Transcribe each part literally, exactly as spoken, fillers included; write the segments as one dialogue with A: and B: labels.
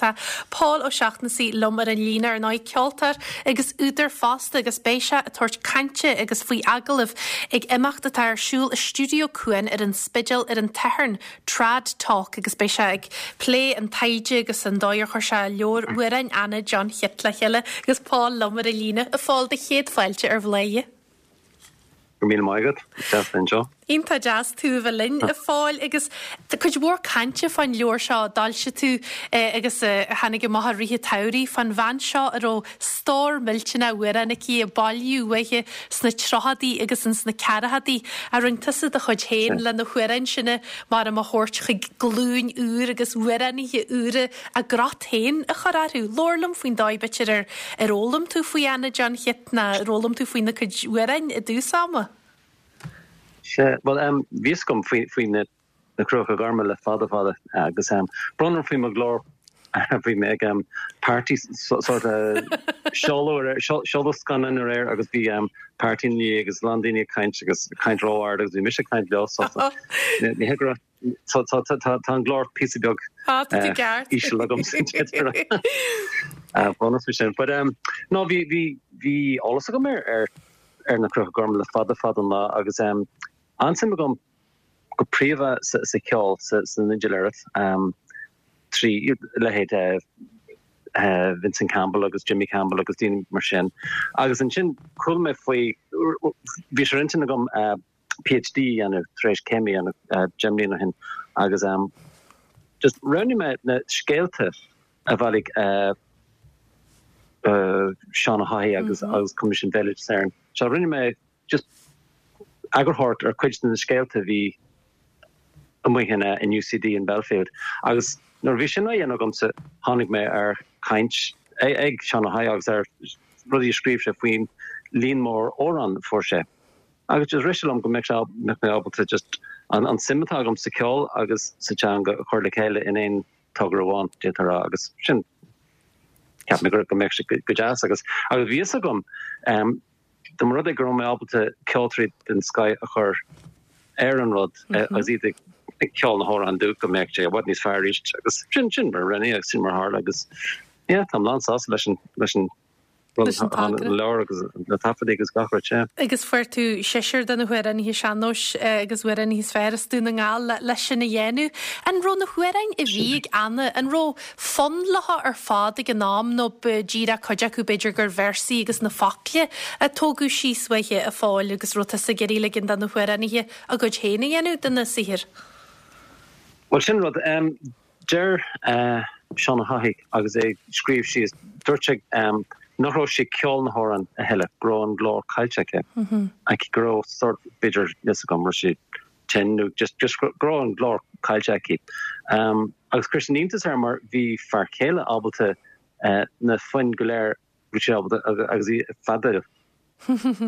A: Tá Paul Ó Seachnasaigh liom ar an líne ar ndóigh ceoltóir agus údar fosta agus beidh sé ag tabhairt cainte agus faoi agallamh ag imeacht atá ar siúl i Stiúideo Cuan ar an Spidéal ar an Satharn Trad Talk agus beidh sé ag plé an taighde agus an dóigh ar chuir sé leabhar amhráin Anna John Chit le chéile agus Paul liom ar an líne a Phóil do chéad fáilte ar Bhladhaire.
B: Go míle maith agat deas anseo.
A: Iontach deas tú a bheith linn a Phóil agus tá cuid mhór cainte fán leabhar seo a d'fhoilsigh tú agus a tháinig amach i rith an tsamhraidh fán bhean seo a raibh stór millteanach amhrán aici a bailíodh uaithi sna tríochaidí agus ins na ceathrachaidí a rinne tusa do chuid féin le na hamhráin sin mar a thabhairt chuig glúin úr agus amhránaithe úra a gcrot féin a chur orthu. Labhair liom faoin dóigh b'fhéidir ar ar fhoghlaim tú faoi Anna John Chit ná ar fhoghlaim tú faoina cuid amhráin i dtús ama.
B: Sea, bhuel um, bhí fhios agam faoi faoi na na Cruacha Gorma le fada fada agus um, brón orm faoi mo ghlór bhí mé ag um, party sort of seoladh seoladh scannán aréir agus bhí um, party ní agus lán daoine ag caint agus caint ró-ard agus bhí mise ag caint leo so ní hé go tá tá tá tá an glór píosa beag
A: Ah, tá tú ceart.
B: íseal agam brón orm faoi sin. But um, no bhí bhí bhí eolas agam ar ar ar na Cruacha Gorma le fada fada an lá agus um, an-suim agam go príomha sa, sa ceol sa, san fhidléireacht um, trí leithéid uh, uh, Vincent Campbell agus Jimmy Campbell agus daoine mar sin. Agus ansin chuala mé faoi bhí sé ar intinn agam uh, PhD dhéanamh tar éis céim a dhéanamh uh, deich mbliana ó shin agus um, just roghnaigh mé na scéalta a bhailigh uh, uh, Seán Ó hAdhaigh agus mm -hmm. agus Coimisiún Béaloideas Éireann. So rinne mé just eagarthóireacht ar cuid de na scéalta bhí amuigh in, uh, in UCD in Belfield. Agus nuair bhí sin á dhéanamh agamsa tháinig mé ar caint ag, ag Seán Ó hAdhaigh agus ar rudaí a scríobh sé faoin líon mór amhrán a fuair sé. Agus just rith sé liom go mbeadh sé mbeadh mé ábalta just an, an suim atá agam sa ceol agus sa teanga a chur le chéile in aon togra amháin déarfá agus sin ceap mé go mbeadh sé go deas agus agus bhí fhios agam um, dá mba rud é go raibh mé ábalta ceoltóirí den scoth a chur ar an rud mm -hmm. agus iad ag ceol na hamhráin dúinn go mbeadh sé i bhfad níos fearr arís agus sin sin mar rinne agus sin mar tharla agus yeah, tá lán sásta leis an leis an
A: Leis an togra.
B: leabhar agus na taifeadtaí agus gach rud sé.
A: Agus fuair tú seisear de na hamhránaithe sean-nóis agus amhránaithe is fearr as Dún na nGall le leis sin a dhéanamh. An raibh na hamhráin a bhí ag Anna, an raibh fonn leo ar fad ag an am nó b'fhéidir cuid acu b'fhéidir gur véarsaí agus na focla a tógadh síos uaithi a Phóil agus raibh tusa ag iarraidh ligean do na hamhránaithe a gcuid féin a dhéanamh de na saothair.
B: Well sin rud um, deir uh, Seán Ó hAdhaigh agus é scríobh síos dúirt sé um, nach raibh sé ceol na hamhrán a thuilleadh go raibh an glór caillte aici mm -hmm. aici go raibh sort b'fhéidir níos gom sé tin nó just just go raibh an glór caillte aici. Um, agus chuir sin iontas air mar bhí fear céile ábalta uh, na foinn go léir bhí sé ábalta agus í fada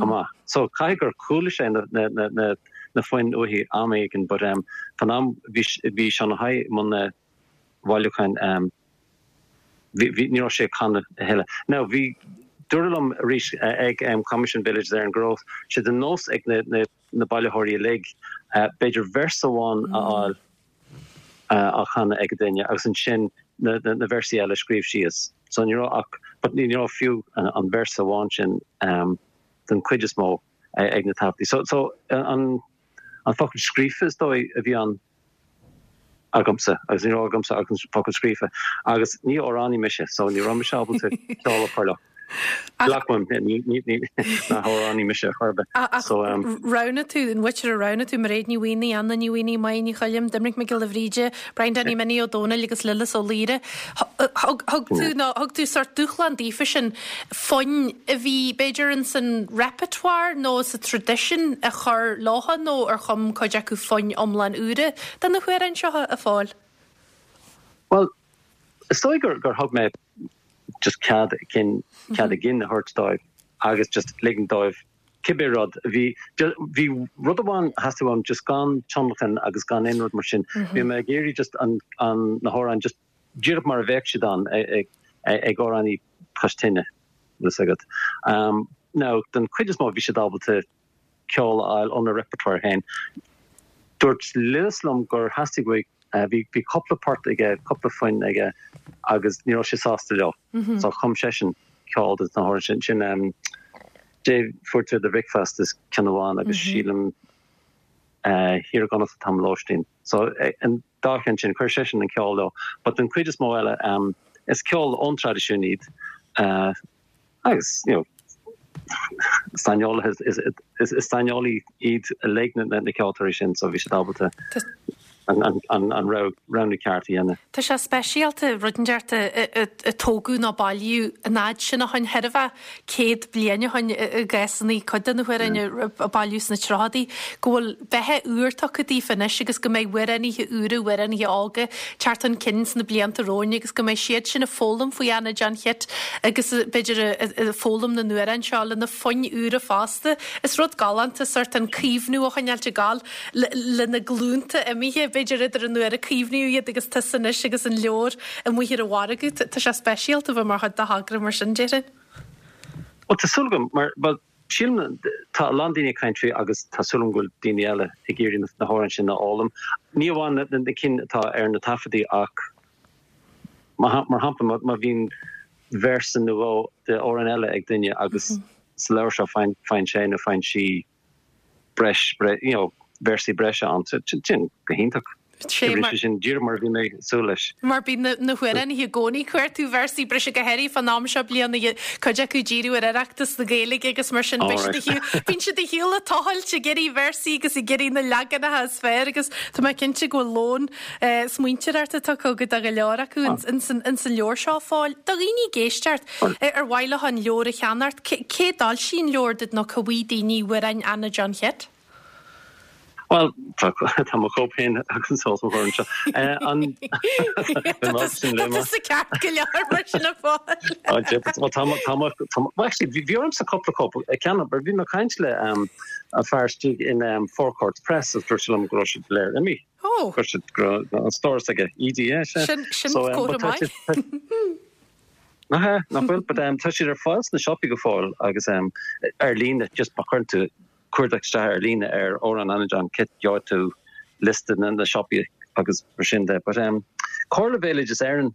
B: amach. So caithfidh gur chuala sé na, na, na, na, na foinn uaithi am éigin, but um, fan am bhí bhí Seán Ó hAdhaigh i mbun na bhailiúcháin um, bhí ní raibh sé canadh a thuilleadh. Now bhí dúradh liom arís ag um, Coimisiún Béaloideas Éireann go raibh sé de nós ag na, na, na bailitheoirí uilig uh, b'fhéidir véarsa amháin a fháil uh, á chanadh ag duine agus ansin na, na, na véarsaí eile scríobh síos. So ní raibh ach but ní raibh fiú an, an véarsa amháin sin um, den chuid is mó ag, ag na taifeadtaí. So, so an, an focal scríofa is dóigh a bhí an agamsa agus ní raibh agamsa ach an focal scríofa agus ní amhránaí mise so ní raibh mise ábalta ceol a chur leo. Glacaim ní nach amhránaí mise chor ar bith. So um,
A: Roghnaigh tú an mhuintir a roghnaigh tú Mairéad Ní Mhaonaigh, Anna Ní Mhaonaigh, Máire Ní Choilm, Doimnic Mac Giolla Bhríde, Brian Danny Minnie Ó Dónaill agus Lillis Ó Laoire. Thug tú nó thug tú sort dúshlán daofa sin foinn a bhí b'fhéidir in san repertoire nó sa tradition a chur leo nó ar chum cuid acu foinn iomlán úra de na hamhráin seo a Phóil.
B: Well, is dóigh gur gur thug mé just cead cinn cead a gcinn a thabhairt dóibh agus just ligean dóibh cibé rud bhí bhí rud amháin theastaigh uaim just gan tionlacan agus gan aon rud mar sin. Bhí mé ag iarraidh just an an na hamhráin just díreach mar a bheadh siad an ag ag amhránaí cois tine is agat. Um, now den chuid is mó bhí siad ábalta ceol a fháil óna repertoire féin. Dúirt Lillis liom gur theastaigh uaidh Bhí bhí cúpla port aige, cúpla fonn aige agus ní raibh sé sásta leo. So chum seisean ceol do na hamhráin sin sin um, Dé fuair tú do bhricfeasta is ceann amháin agus sílim uh, Thiar i gConnacht atá mo lóistín. So an dá cheann sin chuir seisean an ceol leo, but den chuid is mó eile um, is ceol ón traidisiún iad uh, agus you know, saineolaithe is, is, is saineolaí iad uilig na, na ceoltóirí sin so bhí siad ábalta an, an, an, an roghnú ceart a dhéanamh.
A: Tá sé speisialta rud inteacht a tógadh nó bailíodh an fhad sin ó shin thar a bheith céad bliain ó shin i gcásanna cuid de na hamhráin a bailíodh sna tríochaidí, go bhfuil beatha úr tugtha daofa anois agus go mbeidh amhránaithe úra, amhránaithe óga teacht chun cinn sna blianta romhainn agus go mbeidh siad sin ag foghlaim faoi Anna John Chit agus b'fhéidir ag foghlaim na n-amhrán seo le na foinn úra fosta. Is rud galánta sórt an caomhnú a choinneáil ag gabháil le na glúnta imithe b'fhéidir idir an uair a caomhnaíodh iad agus tusa anois agus an leabhar amuigh ar an mhargadh. Tá sé speisialta bheith mar chuid de thogra mar sin déarfainn.
B: Well tá súil agam mar well sílim tá a lán daoine ag caint faoi agus tá súil agam go bhfuil daoine eile ag iarraidh na hamhráin sin a fhoghlaim. Ní amháin na, na cinn atá ar na taifeadaí ach mar shampla má bhíonn véarsa nó dhó de amhrán eile ag duine agus mm -hmm. sa leabhar seo faigheann sé nó faigheann sí breis bre, you know, véarsaí breise ann sin go hiontach. Sé sin díreach mar bhí mé súil leis.
A: Mar bíonn na hamhránaithe i gcónaí ag cuartú véarsaí breise go háirithe fán am seo bliana cuid acu ag díriú ar Oireachtas na Gaeilge agus mar sin bíonn siad ar shiúl ag tochailt ag iarraidh véarsaí agus ag iarraidh na leaganacha is fearr agus tá mé cinnte go bhfuil lón eh, smaointeoireachta tugtha go do go leor acu ins an leabhar seo fáil. Do dhaoine ag éisteacht ar mhaith leo an leabhar a cheannacht, cé d'fhoilsigh an leabhar duit nó cá bhfaighidh daoine amhráin Anna John Chit?
B: Well tá mo chóip féin agus an seo seo. An
A: Tá ceart go leor mar sin a fáil.
B: Bhí ormsa cúpla cóip a cheannach, bhí mé ag caint le um, a fear istigh in um, Four Courts Press agus dúirt sé liom go raibh siad léir imithe.
A: Oh.
B: Gur siad an stóras aige EDS.
A: Sin sin comhartha maith.
B: Nach nach bhfuil, but um, tá siad ar fáil sna siopaí go fóill agus um, ar líne just má chuireann tú cuardach isteach ar líne ar amhráin Anna John Chit gheobhaidh tú liosta na na siopaí agus mar sin de. But um, Comhairle Bhéaloideas Éireann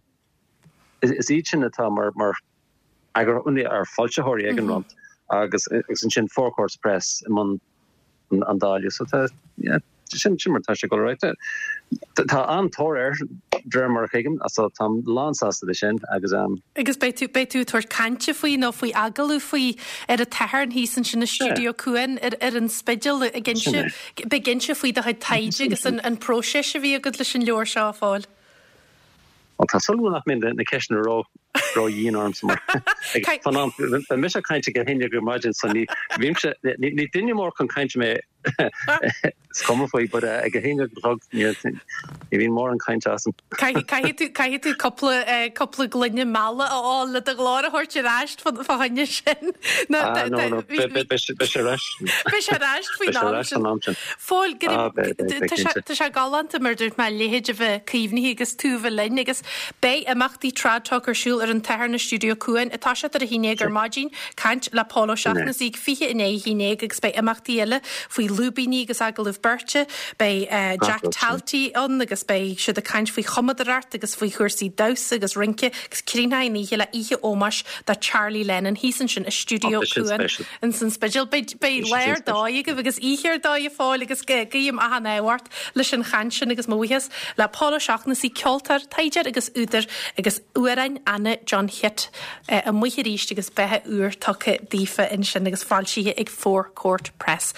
B: is, is iad sin atá mar mar agur ar foilsitheoirí ag an mm -hmm. rud agus agus ansin Four Courts Press i mbun an, an dáileadh so tá yeah, sin sin mar tá sé go right. Tá an-tóir air de réir mar a thuigim so táim lánsásta de sin agus um,
A: Agus beidh tú beidh tú ag tabhairt cainte faoi nó faoi agallamh faoi ar an Satharn thíos ansin i Stiúideo Cuan ar ar an Spidéal ag inse beidh inse faoi do chuid taighde agus an an próiseas a bhí agat leis an leabhar seo a fáil.
B: Well, tá súil nach mbeidh na ceisteanna ró ró dhian orm mar Bhí mise ag caint go hinne go maidin so ní bhímse ní duine mór chun cainte mé is cuma faoi but uh, ag a haon a chlog ní bhíonn mórán cainte asam.
A: Caithfidh tú cúpla eh, cúpla gloine meala a fháil le do ghlór a thabhairt ar ais fá choinne sin.
B: Ah, no, no, beidh sé ar ais.
A: Beidh sé ar ais faoin am sin.
B: am sin.
A: Fóill
B: Ah, beidh, beidh, beidh,
A: tá sé-
B: cinnte.
A: tá sé galánta mar dúirt mé a leithéid a bheith caomhnaithe agus tú bheith linn agus beidh imeachtaí Trad Talk ar siúl ar an Satharn i Stiúideo Cuan atá sé ar a haon déag ar maidin caint le Pól Ó Seachnasaigh fiche i ndiaidh a haon déag agus beidh imeachtaí eile faoi lúibíní agus agallamh beirte beidh uh, Jack
B: rud sin.
A: Talty ann agus beidh siad ag caint faoi chumadóireacht agus faoi chúrsaí damhsa agus rince agus críochnóidh an oíche le oíche ómóis do Charlie Lennon thíos ansin i Stiúideo
B: Oh, sin
A: Cuan
B: special.
A: in san Spidéal beidh beidh
B: Sin
A: lá ar
B: special.
A: dóigh agaibh agus oíche ar dóigh a fáil agus guím achan ádh ort leis an chaint sin agus mo bhuíochas le Pól Ó Seachnasaigh ceoltóir taighdeoir agus údar agus amhráin Anna John Chit eh, amuigh arís agus beatha úr tugtha daofa ansin agus foilsithe ag Four Court Press.